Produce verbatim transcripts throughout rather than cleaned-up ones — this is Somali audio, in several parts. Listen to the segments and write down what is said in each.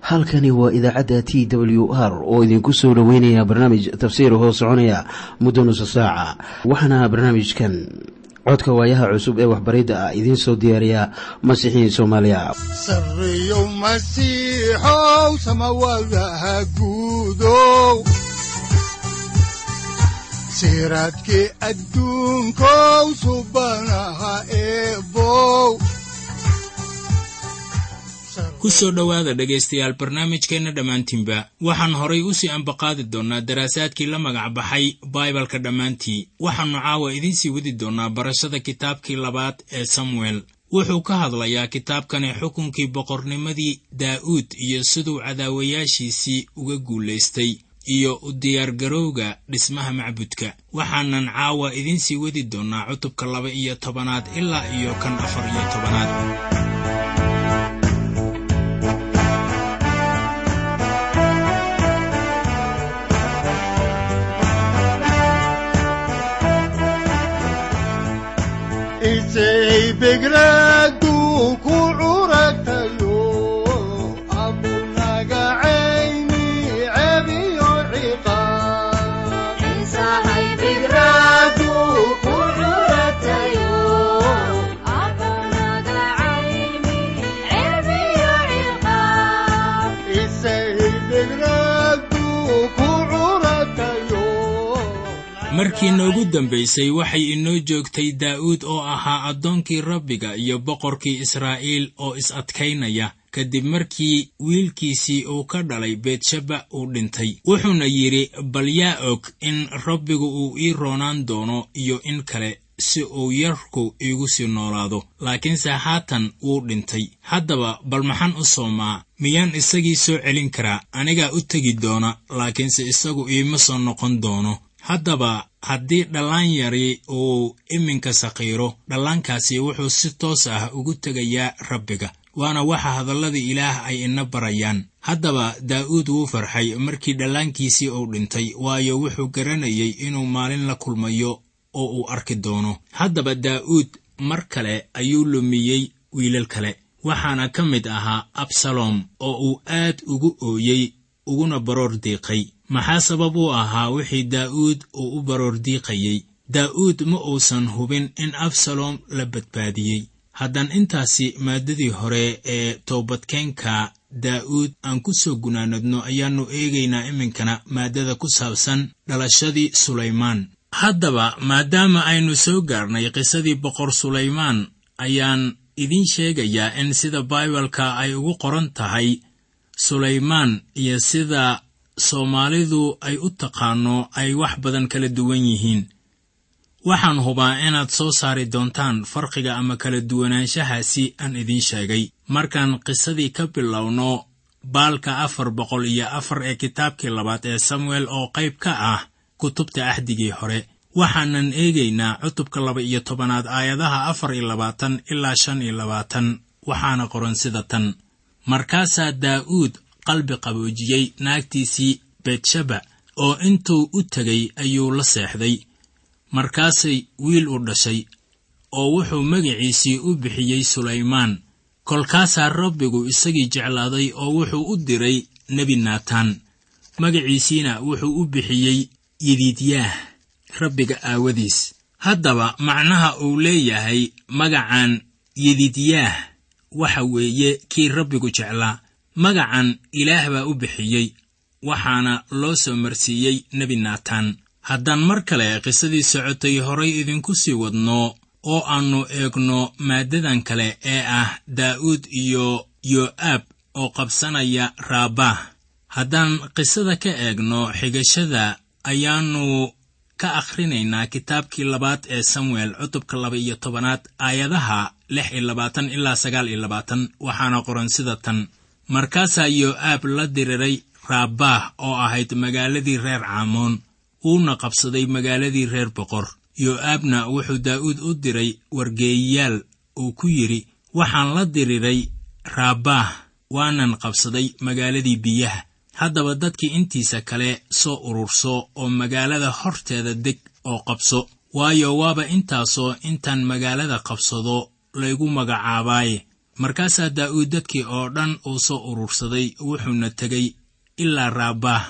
Halkani waa idaacadda T W R oo idinku soo dhoweynaya barnaamij tafsiir hoo soconaya muddo nusa saaca. Waxaana barnaamijkan codka waayaha cusub ee waxbaridda ah idiin soo diyaariya Masiixiin Soomaaliya. Sarreyow Masiixow, samawadaha guudow, siraadkii adduunkow, subanaha eebow. Ku soo dhowaada, dhegaystayaal, barnaamijkeenna dhammaantiinba. Waxaan horay u sii ambaqaadi doonnaa daraasaadkii la magac baxay Baibalka dhammaantii. Waxaannu caawa idiin sii wadi doonnaa barashada kitaabkii labaad ee Samuel. Wuxuu ka hadlayaa kitaabkani xukunkii boqornimadii Daa'uud iyo siduu cadaawayaashiisii uga guulaystay iyo u diyaargarowga dhismaha macbudka. Waxaanan caawa idiin sii wadi doonnaa cutubka laba iyo tobanaad ilaa iyo kan afar iyo tobanaad. Isay begradu ku curatayo abunagacayni cebiyo ciqaab. Begradu ku curatayo Isay begradu ku curatayo. Markii noogu dambaysay waxay inoo joogtay Daa'uud oo ahaa addoonkii Rabbiga iyo boqorkii Israa'iil oo is-adkaynaya kadib markii wiilkiisii uu ka dhalay Beetsheba uu dhintay. Wuxuuna yidhi, bal yaa og in Rabbigu uu ii roonaan doono iyo in kale si uu yarku iigu sii noolaado, laakiinse haatan wuu dhintay. Haddaba bal maxaan u soomaa? Miyaan isagii soo celin karaa? Anigaa u tegi doona, laakiinse isagu iima soo noqon doono. Haddaba haddii dhallaan yari uu iminka saqiiro, dhallaankaasi wuxuu si toos ah ugu tegayaa Rabbiga, waana waxa hadallada Ilaah ay ina barayaan. Haddaba Daa'uud wuu farxay markii dhallaankiisii uu dhintay, waayo wuxuu garanayay inuu maalin la kulmayo oo uu arki doono. Haddaba Daa'uud mar kale ayuu lumiyey wiilal kale, waxaana ka mid ahaa Absalom oo uu aad ugu ooyey uguna baroor diiqay. Maxaa sabab u ahaa wixii Daa'uud uu u baroor diiqayey? Daa'uud ma uusan hubin in Absalom la badbaadiyey. Haddaan intaasi maaddadii hore ee toobadkeenka Daa'uud aan ku soo gunaanadno, ayaannu eegaynaa iminkana maaddada ku saabsan dhalashadii Sulaymaan. Haddaba maadaama aynu soo gaarnay qisadii boqor Sulaymaan, ayaan idiin sheegayaa in sida Baibalka ay ugu qoran tahay Sulaymaan iyo sida Soomaalidu ay u taqaano ay wax badan kala duwan yihiin. Waxaan hubaa inaad soo saari doontaan farqiga ama kala duwanaanshahaasi aan idiin sheegay. Markaan qisadii ka bilowno baalka afar boqol iyo afar ee kitaabkii labaad ee Samuel oo qayb ka ah kutubta axdigii hore, waxaanan eegaynaa cutubka laba iyo tobanaad aayadaha afar iyo labaatan ilaa shan iyo labaatan. Waxaana qoran sida tan: Markaasaa Daa'uud qalbi qaboojiyey naagtiisii Beetsheba, oo intuu u tegay ayuu la seexday. Markaasay wiil u dhashay, oo wuxuu magaciisii u bixiyey Sulaymaan. Kolkaasaa Rabbigu isagii jeclaaday, oo wuxuu u diray nebi Naataan, magaciisiina wuxuu u bixiyey Yediidyaah Rabbiga aawadiis. Haddaba macnaha uu leeyahay magacan Yediidyaah waxa weeye kii Rabbigu jeclaa. Magacan Ilaah baa u bixiyey, waxaana loo soo marsiiyey nebi Naataan. Haddaan mar kale qisadii socotay horay idinku sii wadno oo aannu eegno maaddadan kale ee ah Daa'uud iyo Yo'aab oo qabsanaya Raabah, haddaan qisada ka eegno xigashada, ayaannu ka akhrinaynaa kitaabkii labaad ee Samuel cutubka laba iyo tobanaad aayadaha lix iyo labaatan ilaa sagaal iyo labaatan. Waxaana qoran sida tan: Markaasaa Yo'aab la diriray Raabah oo ahayd magaaladii reer Caamoon, wuuna qabsaday magaaladii reer boqor. Yo'aabna wuxuu Daa'uud u diray wargeeyayaal uu ku yidhi, waxaan la diriray Raabah, waanan qabsaday magaaladii biyaha. Haddaba dadkii intiisa kale soo ururso oo magaalada horteeda deg oo qabso, waayo waaba intaasoo intaan magaalada qabsado laygu magacaabaaye. Markaasaa Daa'uud dadkii oo dhan uu soo urursaday, wuxuuna tegey ilaa Raabaah,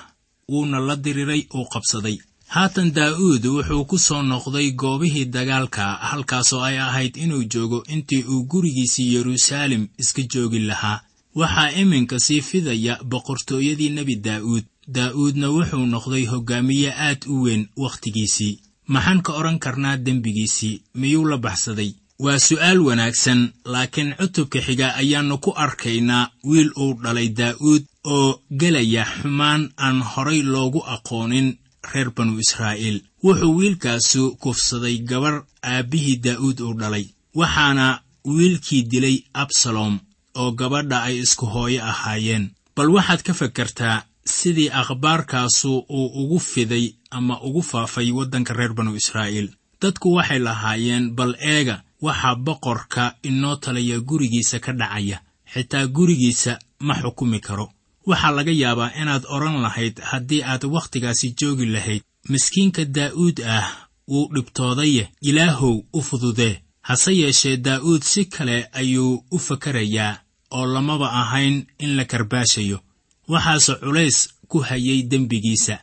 wuuna la diriray uu qabsaday. Haatan Daa'uud wuxuu ku soo noqday goobihii dagaalka, halkaasoo ay ahayd inuu joogo intii uu gurigiisii Yeruusaalem iska joogi lahaa. Waxaa iminka sii fidaya boqortooyadii nebi Daa'uud. Daa'uudna wuxuu noqday hoggaamiye aad u weyn wakhtigiisii. Maxaan ka odhan karnaa dembigiisii? Miyuu la baxsaday? Waa su'aal wanaagsan, laakiin cutubka xiga ayaannu ku arkaynaa wiil uu dhalay Daa'uud oo gelaya xumaan aan horay loogu aqoonin reer banu Israa'iil. Wuxuu wiilkaasu kufsaday gabar aabbihii Daa'uud uu dhalay, waxaana wiilkii dilay Absalom oo gabadha ay isku hooyo ahaayeen. Bal waxaad ka fakartaa sidii akhbaarkaasu uu ugu fiday ama ugu faafay waddanka reer banu Israa'iil. Dadku waxay lahaayeen, bal eega waxaa boqorka inoo talaya gurigiisa ka dhacaya, xitaa gurigiisa ma xukumi karo. Waxaa laga yaabaa inaad odhan lahayd haddii aad wakhtigaasi joogi lahayd, miskiinka Daa'uud ah wuu dhibtoodaye, Ilaahow u fududee. Hase yeeshee Daa'uud si kale ayuu u fakarayaa oo lamaba ahayn in la karbaashayo. Waxaase culays ku hayay dembigiisa,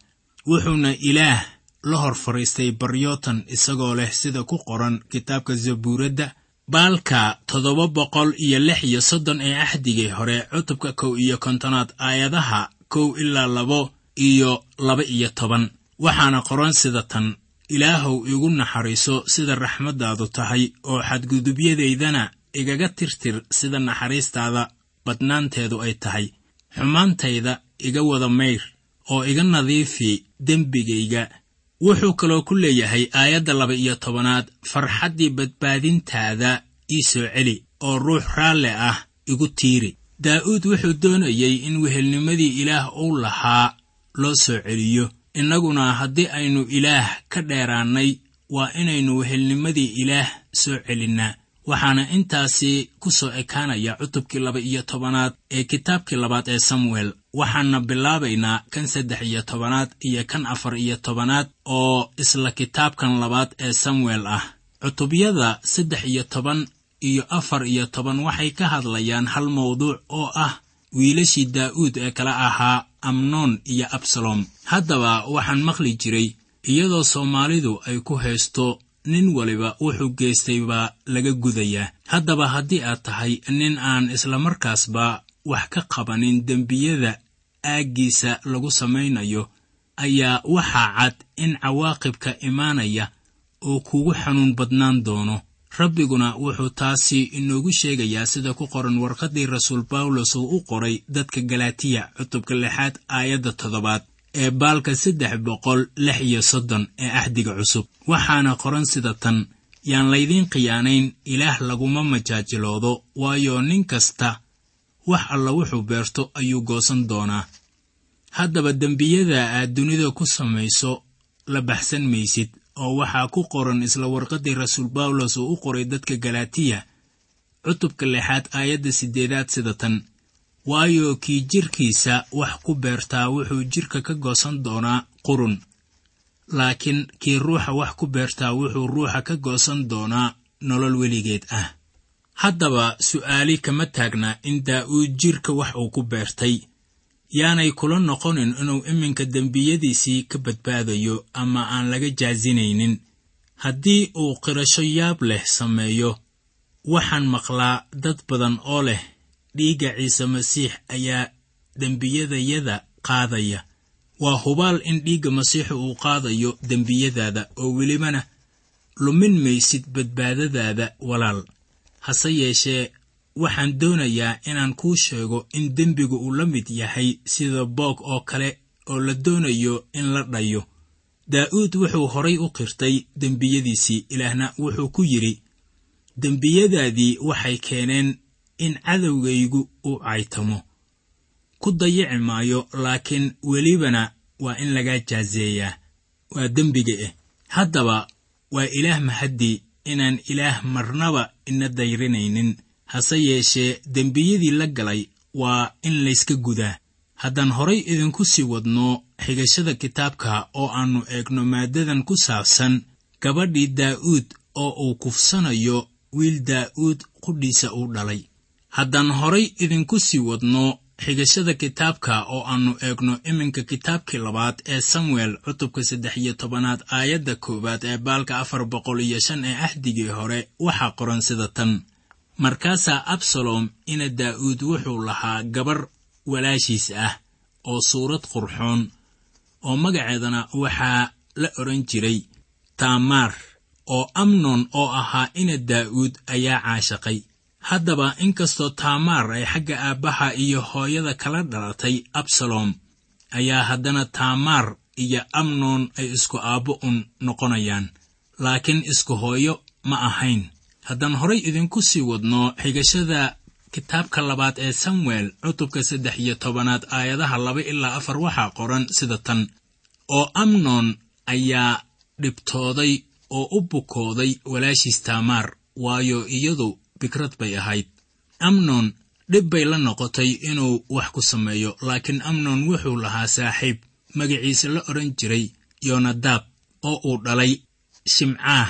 wuxuuna Ilaah la hor fadhiistay baryootan isagoo leh sida ku qoran kitaabka Zabuuradda baalka toddoba boqol iyo lix iyo soddon ee axdigii hore, cutubka kow iyo kontonaad aayadaha kow ilaa labo iyo laba iyo toban. Waxaana qoran sida tan: Ilaahow igu naxariiso sida raxmaddaadu tahay, oo xadgudubyadeydana igaga tirtir sida naxariistaada badnaanteedu ay tahay. Xumaantayda iga wada mayr oo iga nadiifi dembigayga. Wuxuu kaloo ku leeyahay aayadda laba iyo tobanaad, farxaddii badbaadintaada ii soo celi oo ruux raalle ah igu tiiri. Daa'uud wuxuu doonayey in wehelnimadii Ilaah uu lahaa loo soo celiyo. Innaguna haddii aynu Ilaah ka dheeraannay, waa inaynu wehelnimadii Ilaah soo celinnaa. Waxaana intaasi ku soo ekaanaya cutubkii laba iyo tobanaad ee kitaabkii labaad ee Samuel. Waxaana bilaabaynaa kan saddex iyo tobanaad iyo kan afar iyo tobanaad oo isla kitaabkan labaad ee Samuel ah. Cutubyada saddex iyo toban iyo afar iyo toban waxay ka hadlayaan hal mawduuc oo ah wiilashii Daa'uud ee kala ahaa Amnoon iyo Absalom. Haddaba waxaan maqli jiray iyadoo Soomaalidu ay ku haysto nin waliba wuxuu geystay baa laga gudayaa. Haddaba haddii aad tahay nin aan islamarkaasba wax ka qabanin dembiyada aaggiisa lagu samaynayo, ayaa waxaa cad in cawaaqibka imaanaya uu kugu xanuun badnaan doono. Rabbiguna wuxuu taasi inoogu sheegayaa sida ku qoran warqaddii rasuul Bawlos uu u qoray dadka Galaatiya, cutubka lixaad aayadda toddobaad ee baalka saddex boqol lix iyo soddon ee axdiga cusub. Waxaana qoran sida tan: yaan laydiin khiyaanayn, Ilaah laguma majaajiloodo, waayo nin kasta wax alla wuxuu beerto ayuu goosan doonaa. Haddaba dembiyada aad dunida ku samayso la baxsan maysid, oo waxaa ku qoran isla warqaddii rasuul Bawlos uu u qoray dadka Galaatiya, cutubka lixaad aayadda siddeedaad sida tan: waayo kii jirkiisa wax ku beertaa wuxuu jirka ka goosan doonaa qurun, laakiin kii ruuxa wax ku beertaa wuxuu ruuxa ka goosan doonaa nolol weligeed ah. Haddaba su'aali kama taagna in Daa'uud jirka wax uu ku beertay. Yaanay kula noqonin inuu iminka dembiyadiisii ka badbaadayo ama aan laga jaasinaynin haddii uu qirasho yaab leh sameeyo. Waxaan maqlaa dad badan oo leh dhiigga Ciise Masiix ayaa dembiyadayada qaadaya. Waa hubaal in dhiigga Masiixu uu qaadayo dembiyadaada, oo welibana lumin maysid badbaadadaada walaal. Hase yeeshee waxaan doonayaa inaan kuu sheego in dembigu uu la mid yahay sida boog oo kale oo la doonayo in la dhayo. Daa'uud wuxuu horay u qirtay dembiyadiisii, Ilaahna wuxuu ku yidhi, dembiyadaadii waxay keeneen in cadowgaygu uu caytamo. Ku dayici maayo, laakiin welibana waa in lagaa jaaseeyaa. Waa dembiga eh. Haddaba waa Ilaah mahaddii inaan Ilaah marnaba ina dayrinaynin. Hase yeeshee dembiyadii la galay waa in layska gudaa. Haddaan horay idinku sii wadno xigashada kitaabka oo aannu eegno maaddadan ku saabsan gabadhii Daa'uud oo uu kufsanayo wiil Daa'uud qudhiisa uu dhalay. Haddaan horay idinku sii wadno xigashada kitaabka oo aannu eegno iminka kitaabkii labaad ee Samuel cutubka saddex iyo tobanaad aayadda koowaad ee baalka afar boqol iyo shan ee axdigii hore, waxaa qoran sida tan: Markaasaa Absalom ina Daa'uud wuxuu lahaa gabar walaashiis ah oo suurad qurxoon, oo magaceedana waxaa la odhan jiray Taamaar, oo Amnon oo ahaa ina Daa'uud ayaa caashaqay. Haddaba inkastoo Taamaar ay xagga aabbaha iyo hooyada kala dhalatay Absalom, ayaa haddana Taamaar iyo Amnon ay isku aabbo un noqonayaan, laakiin isku hooyo ma ahayn. Haddaan horay idinku sii wadno xigashada kitaabka labaad ee Samuel cutubka saddex iyo tobanaad aayadaha laba ilaa afar, waxaa qoran sida tan: Oo Amnon ayaa dhibtooday oo u bukooday walaashiis Taamaar, waayo iyadu bikrad bay ahayd. Amnon dhib bay la noqotay inuu wax ku sameeyo, laakiin Amnon wuxuu lahaa saaxiib magaciisa la odhan jiray Yonadaab, oo uu dhalay Shimcaah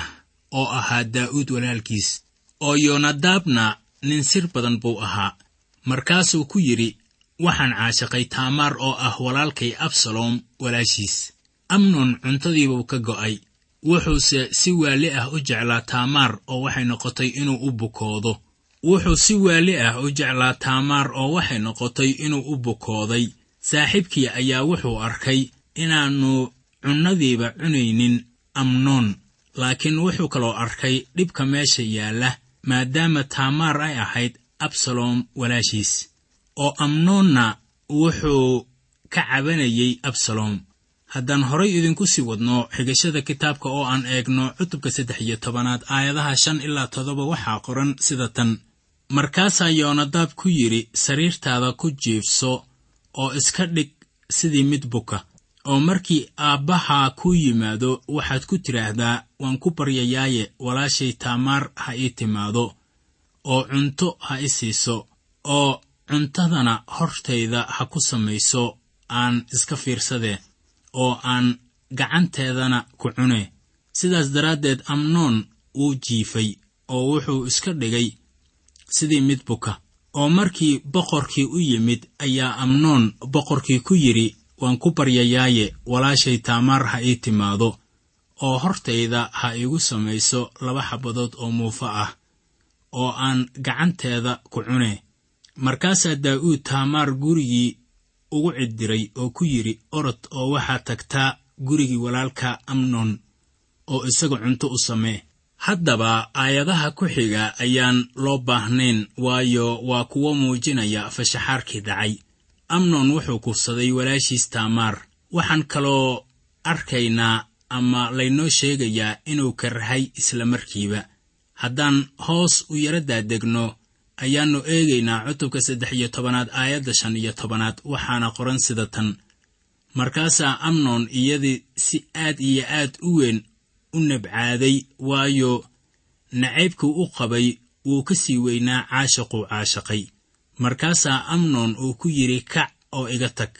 oo ahaa Daa'uud walaalkiis, oo Yonadaabna nin sir badan buu ahaa. Markaasuu ku yidhi, waxaan caashaqay Taamaar oo ah walaalkay Absalom walaashiis. Amnon cuntadiibuu ka go'ay, wuxuuse si waali ah u jeclaa Taamaar, oo waxay noqotay inuu u bukoodo. Wuxuu si waali ah u jeclaa Taamaar, oo waxay noqotay inuu u bukooday. Saaxiibkii ayaa wuxuu arkay inaannu cunnadiiba cunaynin Amnoon, laakiin wuxuu kaloo arkay dhibka meesha yaalla, maadaama Taamaar ay ahayd Absalom walaashiis, oo Amnoonna wuxuu ka cabanayey Absalom. Haddaan horay idinku sii wadno xigashada kitaabka oo aan eegno cutubka saddex iyo tobanaad aayadaha shan ilaa toddoba, waxaa qoran sida tan: Markaasaa Yoonadaab ku yidhi, sariirtaada ku jiifso oo iska dhig sidii mid buka, oo markii aabbahaa kuu yimaado waxaad ku tidhaahdaa, waan ku baryayaaye, walaashay Taamaar ha ii timaado oo cunto ha i siiso, oo cuntadana hortayda ha ku samayso, aan iska fiirsadee, oo aan gacanteedana ku cune. Sidaas daraaddeed Amnoon wuu jiifay oo wuxuu iska dhigay sidii mid buka. Oo markii boqorkii u yimid ayaa Amnoon boqorkii ku yidhi, waan ku baryayaaye, walaashay Taamaar ha ii timaado oo hortayda ha iigu samayso laba xabadood oo muufo ah, oo aan gacanteeda ku cune. Markaasaa Daa'uud Taamaar gurigii ugu ciddiray oo ku yidhi, orod oo waxaad tagtaa gurigii walaalka Amnon oo isaga cunto u samee. Haddaba aayadaha ku xiga ayaan loo baahnayn, waayo waa kuwo muujinaya fashaxaarkii dhacay. Amnon wuxuu kufsaday walaashiis Taamaar. Waxaan kaloo arkaynaa ama laynoo sheegayaa inuu karrahay isla markiiba. Haddaan hoos u yara daadegno ayaannu eegaynaa cutubka saddex iyo tobanaad aayadda shan iyo tobanaad, waxaana qoran sida tan: Markaasaa Amnon iyadii si aad iyo aad u weyn u nabcaaday, waayo nacaybkuu u qabay wuu ka sii weynaa caashiquu caashaqay. Markaasaa Amnon uu ku yidhi, kac oo iga tag.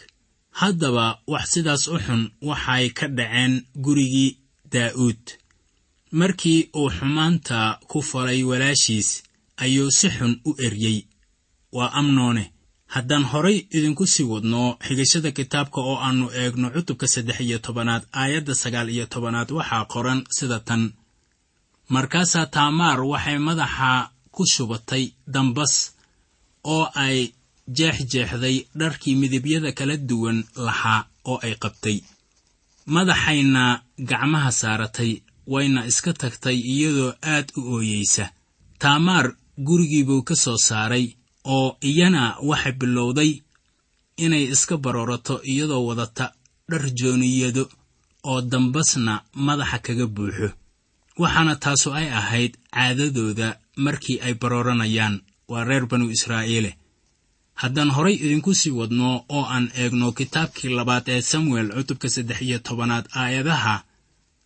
Haddaba wax sidaas u xun waxay ka dhaceen gurigii Daa'uud. Markii uu xumaanta ku falay walaashiis ayuu si xun u eryey, waa Amnoone. Haddaan horay idinku sii wadno xigashada kitaabka oo aannu eegno cutubka saddex iyo tobanaad aayadda sagaal iyo tobanaad, waxaa qoran sida tan: Markaasaa Taamaar waxay madaxa ku shubatay dambas oo ay jeexjeexday dharkii midibyada kala duwan lahaa oo ay qabtay, madaxayna gacmaha saaratay, wayna iska tagtay iyadoo aad u ooyeysa. Taamaar gurigiibuu ka soo saaray, oo iyana waxay bilowday inay iska baroorato iyadoo wadata dhar jooniyado oo dambasna madaxa kaga buuxo. Waxaana taasu ay ahayd caadadooda markii ay barooranayaan, waa reer banu Israa'iile. Haddaan horay idinku sii wadno oo aan eegno kitaabkii labaad ee Samuel cutubka saddex iyo tobanaad aayadaha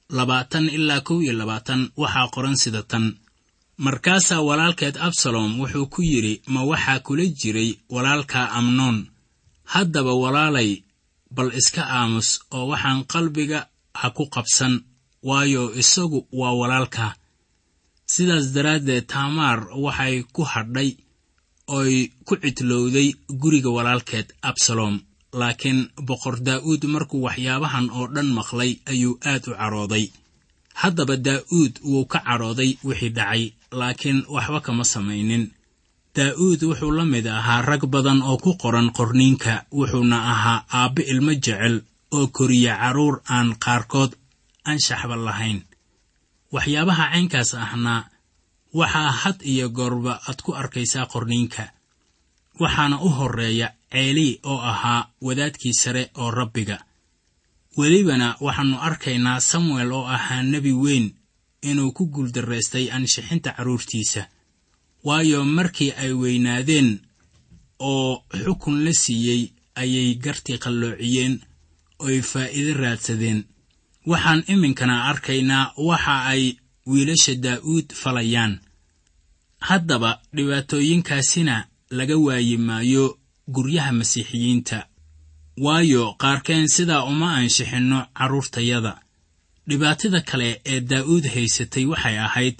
labaatan ilaa kow iyo labaatan, waxaa qoran sida tan: Markaasaa walaalkeed Absalom wuxuu ku yidhi, ma waxaa kula jiray walaalka Amnoon? Haddaba walaalay, bal iska aamus oo waxaan qalbiga ha ku qabsan, waayo isagu waa walaalka. Sidaas daraaddeed Taamaar waxay ku hadhay Oy ku cidlowday guriga walaalkeed Absalom. Laakiin boqor Daa'uud markuu waxyaabahan oo dhan maqlay ayuu aad u carooday. Haddaba Daa'uud wuu ka carooday wixii dhacay, laakiin waxba kama samaynin. Daa'uud wuxuu la mid ahaa rag badan oo ku qoran qorniinka, wuxuuna ahaa aabbe ilmo jecel oo koriya carruur aan qaarkood anshaxba lahayn. Waxyaabaha caynkaas ahna waxaa had iyo goorba aad ku arkaysaa qorniinka. Waxaana u horreeya Ceeli oo ahaa wadaadkii sare oo Rabbiga. Welibana waxaannu arkaynaa Samuel oo ahaa nebi weyn inuu ku guuldarraystay anshixinta carruurtiisa, waayo markii ay weynaadeen oo xukun la siiyey ayay gartii qalloociyeen oy faa'iido raadsadeen. Waxaan iminkana arkaynaa waxa ay wiilasha Daa'uud falayaan. Haddaba dhibaatooyinkaasina laga waayi maayo guryaha Masiixiyiinta, waayo qaarkeen sidaa uma anshixinno carruurtayada. Dhibaatada kale ee Daa'uud haysatay waxay ahayd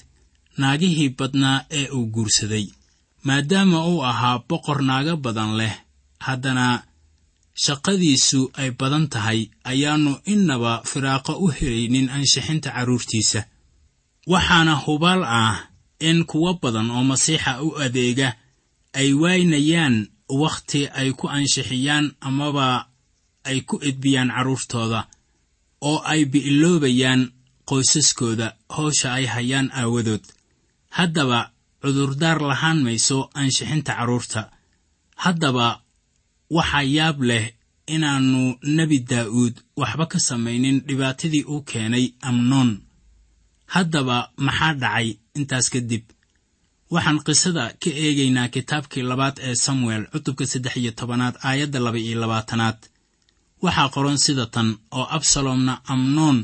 naagihii badnaa ee uu guursaday. Maadaama uu ahaa boqor naago badan leh, haddana shaqadiisu ay badan tahay, ayaannu innaba firaaqo u helaynin anshixinta carruurtiisa. Waxaana hubaal ah in kuwo badan oo Masiixa u adeega ay waynayaan wakhti ay ku anshixiyaan amaba ay ku edbiyaan carruurtooda, oo ay bi'iloobayaan qoysaskooda howsha ay hayaan aawadood. Haddaba cudurdaar lahaan mayso anshixinta carruurta. Haddaba waxaa yaab leh inaannu nebi Daa'uud waxba ka samaynin dhibaatadii uu keenay Amnoon. Haddaba maxaa dhacay intaas kadib? Waxaan qisada ka eegaynaa kitaabkii labaad ee Samuel cutubka saddex iyo tobanaad aayadda laba iyo labaatanaad. Waxaa qoran sida tan: oo Absalomna Amnoon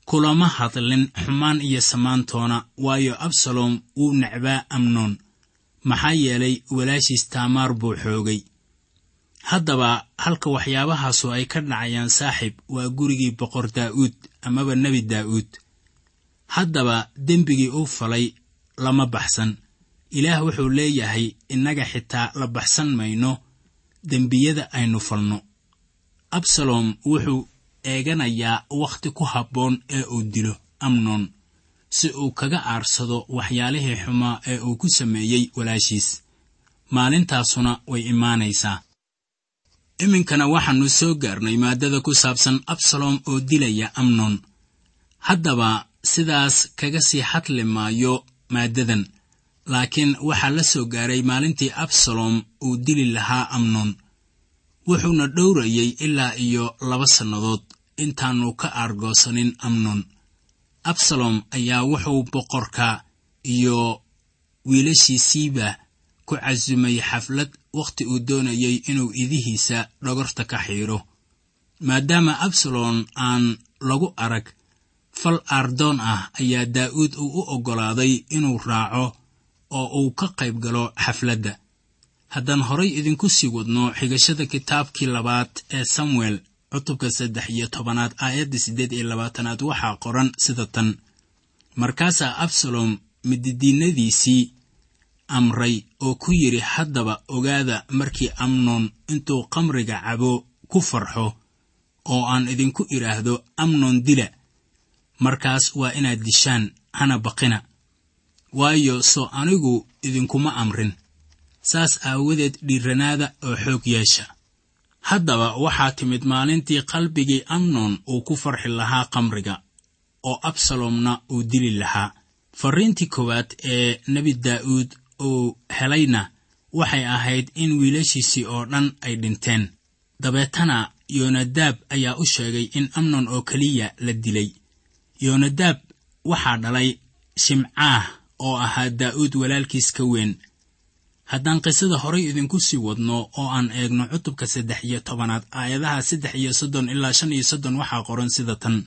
kulama hadlin xumaan iyo samaantoona, waayo Absalom wuu necbaa Amnoon, maxaa yeelay walaashiis Taamaar buu xoogay. Haddaba halka waxyaabahaasu ay ka dhacayaan saaxiib waa gurigii boqor Daa'uud amaba nebi Daa'uud. Haddaba dembigii uu falay lama baxsan. Ilaah wuxuu leeyahay innaga xitaa la baxsan mayno dembiyada aynu falno. Absalom wuxuu eeganayaa wakhti ku habboon ee uu dilo Amnoon si uu kaga aarsado waxyaalihii xumaa ee uu ku sameeyey walaashiis. Maalintaasuna way imaanaysaa. Iminkana waxaannu soo gaarnay maaddada ku saabsan Absalom oo dilaya Amnoon. Haddaba sidaas kaga sii hadli maayo maaddadan, laakiin waxaa la soo gaaray maalintii Absalom uu dili lahaa Amnoon. Wuxuuna dhowrayey ilaa iyo laba sannadood intaannu ka aargoosanin Amnoon. Absalom ayaa wuxuu boqorka iyo wiilashiisiiba ku casumay xaflad wakhti uu doonayey inuu idihiisa dhogorta ka xiidho. Maadaama Absalom aan lagu arag fal aardoon ah, ayaa Daa'uud uu u oggolaaday inuu raaco oo uu ka qayb galo xafladda. Haddaan horay idinku sii wadno xigashada kitaabkii labaad ee Samuel cutubka saddex iyo tobanaad aayadda siddeed iyo labaatanaad waxaa qoran sida tan: markaasaa Absalom mididiinadiisii amray oo ku yidhi, haddaba ogaada markii Amnoon intuu qamriga cabo ku farxo oo aan idinku idhaahdo Amnoon dila, markaas waa inaad dishaan, hana baqina, waayo soo anigu idinkuma amrin. Saas aawadeed dhiiranaada oo xoog yeesha. Haddaba waxaa timid maalintii qalbigii Amnoon uu ku farxi lahaa qamriga, oo Absalomna uu dili lahaa. Farriintii koowaad ee nebi Daa'uud uu helayna waxay ahayd in wiilashiisii oo dhan ay dhinteen. Dabeetana Yoonadaab ayaa u sheegay in Amnoon oo keliya la dilay. Yoonadaab waxaa dhalay Shimcaah oo ahaa Daa'uud walaalkiis ka weyn. Haddaan qisada horay idinku sii wadno oo aan eegno cutubka saddex iyo tobanaad aayadaha saddex iyo soddon ilaa shan iyo soddon waxaa qoran sida tan: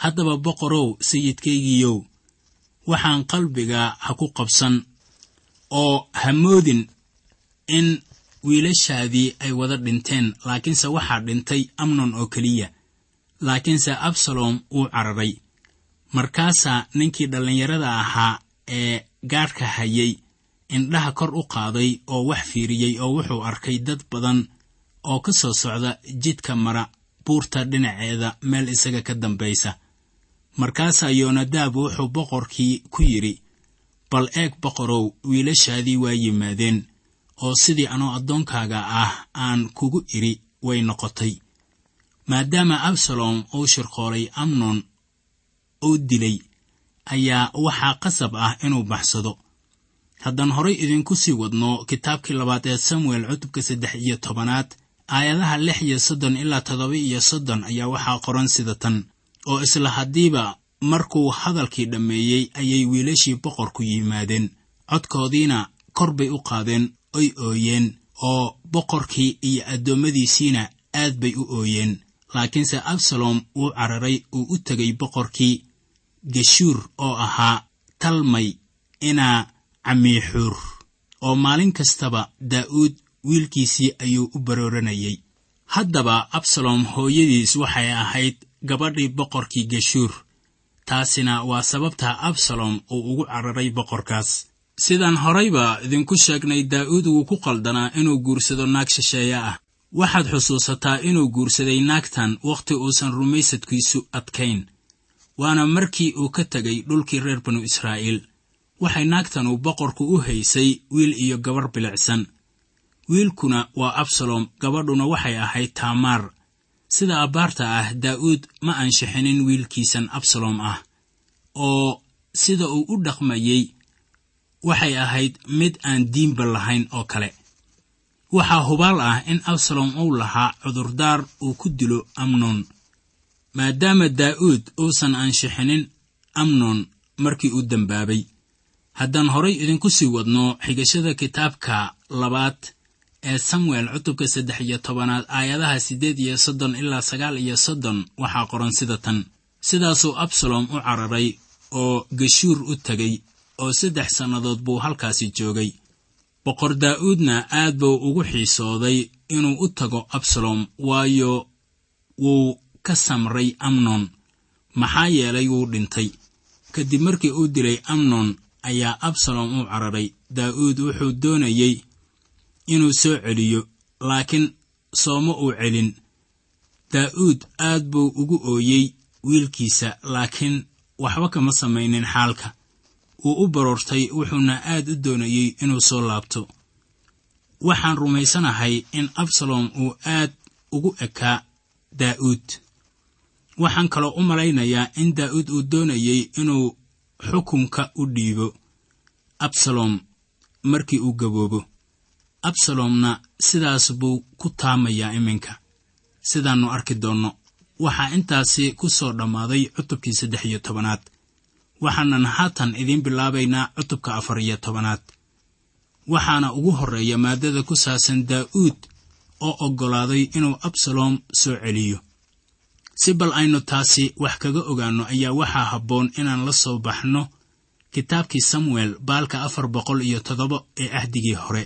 haddaba boqorow sayidkaygiiyow, waxaan qalbiga ha ku qabsan oo ha moodin in wiilashaadii ay wada dhinteen, laakiinse waxaa dhintay Amnon oo keliya. Laakiinse Absalom wuu cararay. Markaasaa ninkii dhallinyarada ahaa ee gaadhka hayay indhaha kor u qaaday oo wax fiiriyey oo wuxuu arkay dad badan oo ka soo socda jidka mara buurta dhinaceeda meel isaga ka dambaysa. Markaasaa Yoonadaab wuxuu boqorkii ku yidhi, bal eeg boqorow, wiilashaadii waa yimaadeen, oo sidii anoo addoonkaaga ah aan kugu idhi way noqotay. Maadaama Absalom uu shirqoolay Amnon oo dilay, ayaa waxaa qasab ah inuu baxsado. Haddaan horay idinku sii wadno kitaabkii labaad ee Samuel cutubka saddex iyo tobanaad aayadaha lix iyo soddon ilaa toddoba iyo soddon ayaa waxaa qoran sida tan: oo isla haddiiba markuu hadalkii dhammeeyey ayay wiilashii boqorku yimaadeen, codkoodiina kor bay u qaadeen oy ooyeen, oo boqorkii iyo addoommadiisiina aad bay u ooyeen. Laakiinse Absalom wuu cararay uu u tegay boqorkii Geshuur oo ahaa Talmay inaa Camiixuur, oo maalin kastaba Daa'uud wiilkiisii ayuu u barooranayay. Haddaba Absalom hooyadiis waxay ahayd gabadhii boqorkii Geshuur, taasina waa sababta Absalom uu ugu cararay boqorkaas. Sidaan horayba idinku sheegnay, Daa'uud wuu ku qaldanaa inuu guursado naag shisheeye ah. Waxaad xusuusataa inuu guursaday naagtan wakhti uusan rumaysadkiisu adkayn, waana markii uu ka tegay dhulkii reer banu Israa'iil. Waxay naagtanu boqorku u haysay wiil iyo gabar bilicsan. Wiilkuna waa Absalom, gabadhuna waxay ahayd Taamaar. Sida abbaarta ah Daa'uud ma anshixinin wiilkiisan Absalom ah, oo sida uu u dhaqmayey waxay ahayd mid aan diinba lahayn oo kale. Waxaa hubaal ah in Absalom uu lahaa cudurdaar uu ku dilo Amnon, maadaama Daa'uud uusan anshixinin Amnon markii uu dambaabay. Haddaan horay idinku sii wadno xigashada kitaabka labaad ee Samuel cutubka saddex iyo tobanaad aayadaha siddeed iyo soddon ilaa sagaal iyo soddon waxaa qoran sida tan: sidaasuu Absalom u cararay oo Geshuur u tegay, oo saddex sannadood buu halkaasi joogay. Boqor Daa'uudna aad buu ugu xiisooday inuu u tago Absalom, waayo wuu ka samray Amnon, maxaa yeelay wuu dhintay. Kadib markii uu dilay Amnon ayaa Absalom u cararay. Daa'uud wuxuu doonayey inuu soo celiyo, laakiin sooma uu celin. Daa'uud aad buu ugu ooyey wiilkiisa, laakiin waxba kama samaynin xaalka. Wuu u baroortay, wuxuuna aad u doonayey inuu soo laabto. Waxaan rumaysanahay in Absalom uu aad ugu ekaa Daa'uud. Waxaan kaloo u malaynayaa in Daa'uud uu doonayey inuu xukunka u dhiibo Absalom markii uu gaboobo. Absalomna sidaas buu ku taamayaa iminka, sidaannu arki doonno. Waxaa intaasi ku soo dhammaaday cutubkii saddex iyo tobanaad. Waxaanan haatan idiin bilaabaynaa cutubka afar iyo tobanaad. Waxaana ugu horreeya maaddada ku saabsan Daa'uud oo oggolaaday inuu Absalom soo celiyo. Si bal aynu taasi wax kaga ogaanno ayaa waxaa habboon inaan la soo baxno kitaabkii Samuel baalka afar boqol iyo toddoba ee ahdigii hore.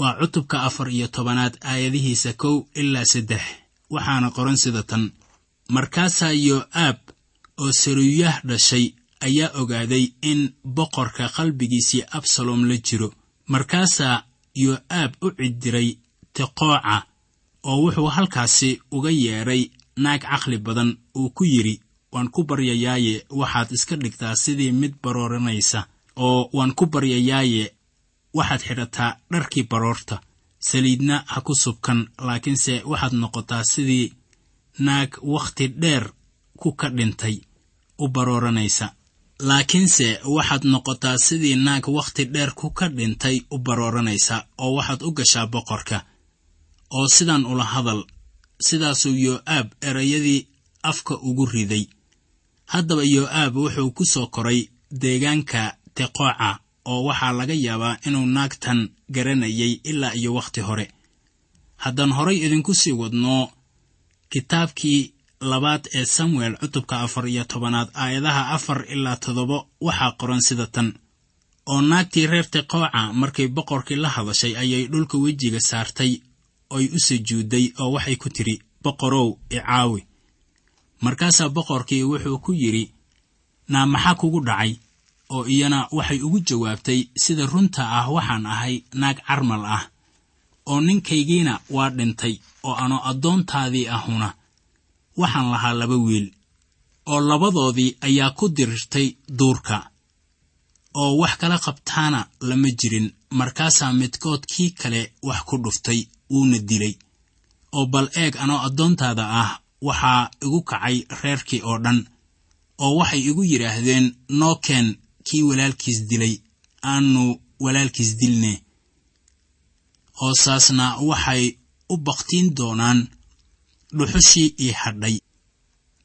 Waa cutubka afar iyo tobanaad aayadihiisa kow ilaa saddex, waxaana qoran sida tan: markaasaa Yo'aab oo Saruyah dhashay ayaa ogaaday in boqorka qalbigiisii Absalom la jiro. Markaasaa Yo'aab u cidiray Teqooca, oo wuxuu halkaasi uga yeedhay naag caqli badan uu ku yidhi, waan ku baryayaaye waxaad iska dhigtaa sidii mid barooranaysa, oo waan ku baryayaaye waxaad xidhataa dharkii baroorta, saliidna ha ku subkan, laakiinse waxaad noqotaa sidii naag wakhti dheer ku ka dhintay u barooranaysa. Laakiinse waxaad noqotaa sidii naag wakhti dheer ku ka dhintay u barooranaysa, oo waxaad u gashaa boqorka, oo sidan ula hadal. Sidaasuu Yo'aab erayadii afka ugu riday. Haddaba Yo'aab wuxuu ku soo koray deegaanka Teqooca, oo waxaa laga yaabaa inuu naagtan garanayay ilaa iyo wakhti hore. Haddaan horay idinku sii wadno kitaabkii labaad ee Samuel cutubka afar iyo tobanaad aayadaha afar ilaa toddoba waxaa qoran sida tan: oo naagtii reer Teqooca markay boqorkii la hadashay ayay dhulka wejiga saartay oy u sujuudday, oo waxay ku tidhi, boqorow icaawi. Markaasaa boqorkii wuxuu ku yidhi, naa maxaa kugu dhacay? Oo iyana waxay ugu jawaabtay, sida runta ah waxaan ahay naag carmal ah, oo ninkaygiina waa dhintay, oo ano addoontaadii ahuna waxaan lahaa laba wiil, oo labadoodii ayaa ku dirirtay duurka, oo wax kala qabtaana lama jirin. Markaasaa midkood kii kale wax ku dhuftay, wuuna dilay. Oo bal eeg, anoo addoontaada ah waxaa igu kacay reerkii oo dhan, oo waxay igu yidhaahdeen, noo keen kii walaalkiis dilay, aanu walaalkiis dilne, oo saasna waxay u bakhtiin doonaan dhuxushii ii hadhay,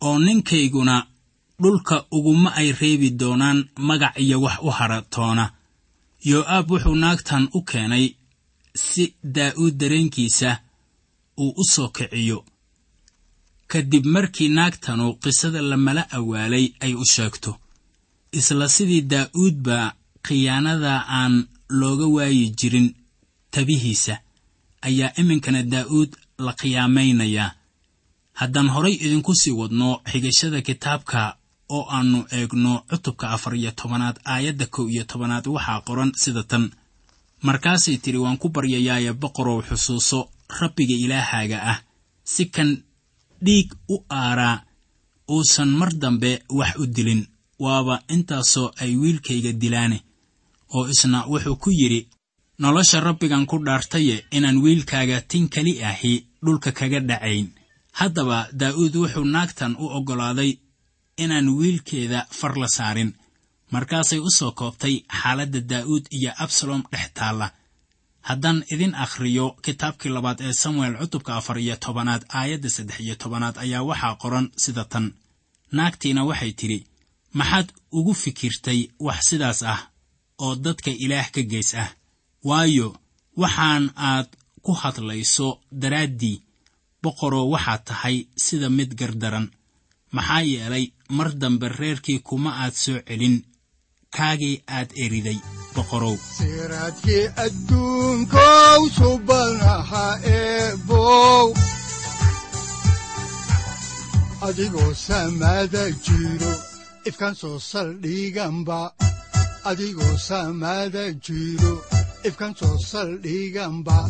oo ninkayguna dhulka uguma ay reebi doonaan magac iyo wax u hadha toona. Yoo'aab wuxuu naagtan u keenay si Daa'uud dareenkiisa uu u soo kiciyo, kadib markii naagtanu qisada lamala awaalay ay u sheegto. Isla sidii Daa'uudba khiyaanada aan looga waayi jirin tabihiisa, ayaa iminkana Daa'uud la khiyaamaynayaa. Haddaan horay idinku sii wadno xigashada kitaabka oo aannu eegno cutubka afar iyo tobanaad aayadda kow iyo tobanaad, waxaa qoran sida tan: Markaasay tidhi, waan ku baryayaaye boqorow, xusuuso Rabbiga Ilaahaaga ah, si kan dhiig u aaraa uusan mar dambe wax u dilin, waaba intaasoo ay wiilkayga dilaane. Oo isna wuxuu ku yidhi, nolosha Rabbigan ku dhaartaye inaan wiilkaaga tin keli ahi dhulka kaga dhacayn. Haddaba Daa'uud wuxuu naagtan u oggolaaday inaan wiilkeeda far la saarin. Markaasay u soo koobtay xaaladda Daa'uud iyo Absalom dhex taalla. Haddaan idin akhriyo kitaabkii labaad ee Samuel cutubka afar iyo tobanaad aayadda saddex iyo tobanaad ayaa waxaa qoran sida tan: Naagtiina waxay tidhi, maxaad ugu fikirtay wax sidaas ah oo dadka Ilaah ka gees ah? Waayo, waxaan aad ku hadlayso daraaddii, boqoroo waxaad tahay sida mid gardaran. Maxaa yeelay mar dambe reerkii kuma aad soo celin kaagii aad eriday, boqorow. Siraadkii adduunkow subanaha eebow, adigoo samada jiro, ifkaan soo saldhiganba, adigoo samada jiro, ifkaan soo saldhiganba,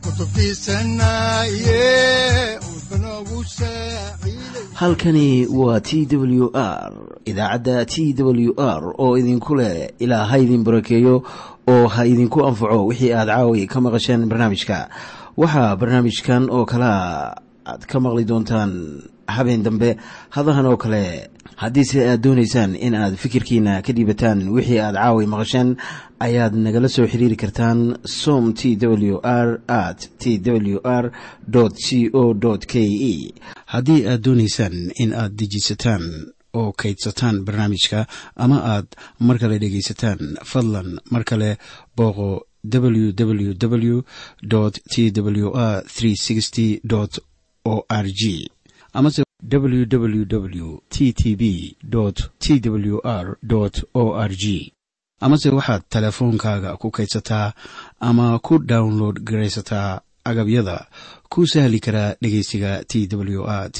Kutubtiisanaye udbanogu saaciiday. Halkani waa T W R, idaacadda T W R oo idinku leh ilaa ha idin barakeeyo oo ha idinku anfaco wixii aad caawi ka maqasheen barnaamijka. Waxaa barnaamijkan oo kalea aad ka maqli doontaan habeen dambe hadahan oo kale. Haddiise aad doonaysaan in aad fikirkiina ka dhiibataan wixii aad caawi maqasheen, ayaad nagala soo xiriiri kartaan som t w r at t w r c o k e. Haddii aad doonaysaan in aad dejisataan oo kaydsataan barnaamijka ama aad mar kale dhegaysataan, fadlan mar kale booqo www t w r o r g amase www t t b t w r o r g, amase waxaad teleefoonkaaga ku kaydsataa ama ku download garaysataa agabyada ku sahli karaa dhegeysiga T W R.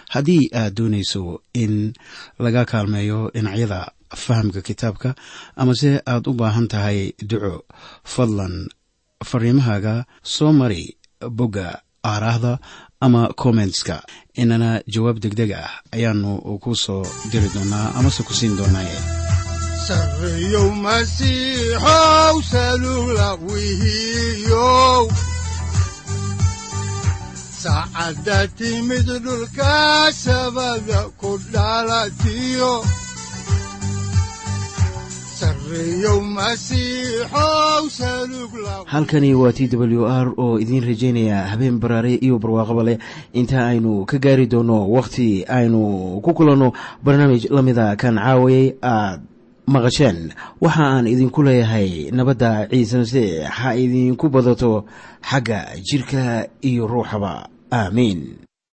Haddii aad doonayso in laga kaalmeeyo dhinacyada fahamka kitaabka amase aad u baahan tahay duco, fadlan fariimahaaga soo mari bogga aaraahda ama kommentska, inana jawaab degdeg ah ayaanu ku soo diri doonaa amase ku siin doonaaye. Sarreeyow Masiixow, salugla wihiyow, saacadda timid dhulka sabada ku dhalatiyo, Sarreeyow Masiixow, salugla. Halkani waa T W R oo idiin rajaynaya habeen baraare iyo barwaaqaba leh inta aynu ka gaari doono wakhti aynu ku kulanno barnaamij la mida kan caawayay aad maqasheen. Waxa aan idinku leeyahay nabadda Ciise Masiix ha idinku badato xagga jirka iyo ruuxaba. Aamiin.